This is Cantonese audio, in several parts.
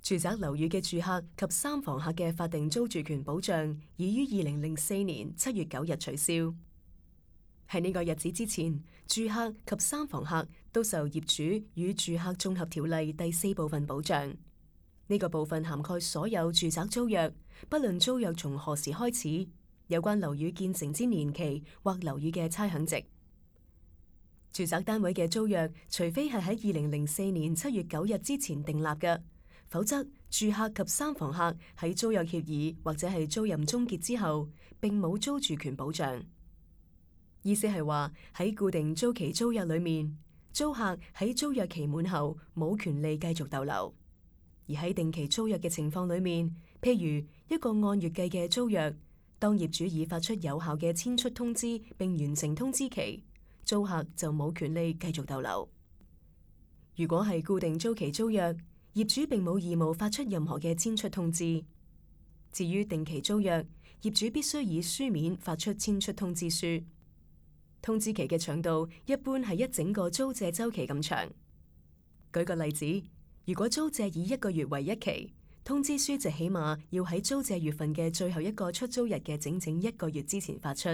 住宅樓宇嘅住客及三房客嘅法定租住權保障已於2004年7月9日取消。喺呢個日子之前，住客及三房客都受業主與住客綜合條例第4部分保障。呢個部分涵蓋所有住宅租約，不論租約從何時開始，有關樓宇建成之年期或樓宇嘅差餉值。住宅單位嘅租約，除非係喺2004年7月9日之前訂立嘅，否則住客及三房客喺租約協議或者係租賃終結之後，並冇租住權保障。意思係話喺固定租期租約裏面，租客喺租約期滿後冇權利繼續逗留；而喺定期租約嘅情況裏面，譬如一個按月計嘅租約，當業主已發出有效嘅遷出通知並完成通知期，租客就冇權利繼續逗留。如果係固定租期租約，業主並冇義務發出任何嘅遷出通知。至於定期租約，業主必須以書面發出遷出通知書。通知期嘅長度一般係一整個租借週期咁長。舉個例子，如果租借以1個月為一期，通知書就起碼要喺租借月份嘅最後一個出租日嘅整整1個月之前發出。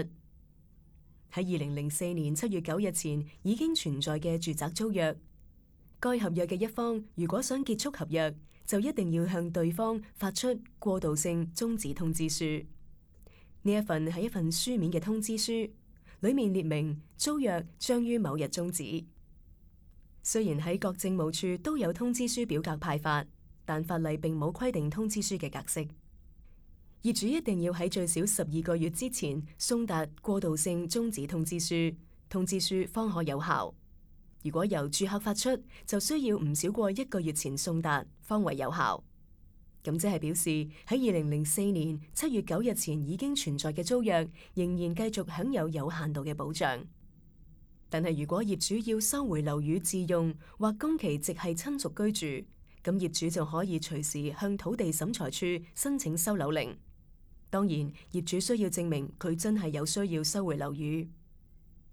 喺2004年7月9日前已經存在嘅住宅租約，該合約嘅一方如果想結束合約，就一定要向對方發出過渡性終止通知書。呢一份係一份書面嘅通知書，裏面列明租約將於某日終止。雖然喺各政務處都有通知書表格派發，但法例並冇規定通知書嘅格式。業主一定要喺最少12個月之前送達過渡性終止通知書，通知書方可有效。如果由住客發出，就需要唔少過1個月前送達，方為有效。咁即係表示喺2004年7月9日前已經存在嘅租約，仍然繼續享有有限度嘅保障。但係如果業主要收回樓宇自用或供其直系親屬居住，咁業主就可以隨時向土地審裁處申請收樓令。當然，業主需要證明佢真係有需要收回樓宇。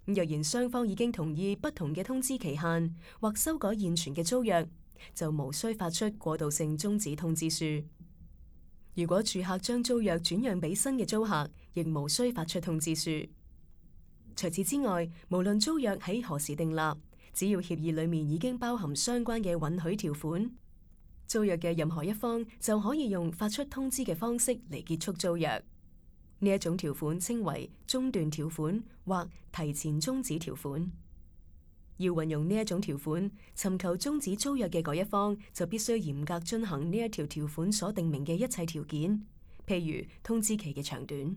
若然雙方已經同意不同嘅通知期限或修改現存嘅租約，就無需發出過渡性終止通知書。如果住客將租約轉讓俾新嘅租客，亦無需發出通知書。除此之外，無論租約喺何時訂立，只要協議裏面已經包含相關嘅允許條款，租約嘅任何一方就可以用發出通知嘅方式嚟結束租約。呢一種條款稱為中斷條款或提前終止條款。要運用呢一種條款，尋求終止租約嘅嗰一方就必須嚴格遵行呢一條條款所訂明嘅一切條件，譬如通知期嘅長短。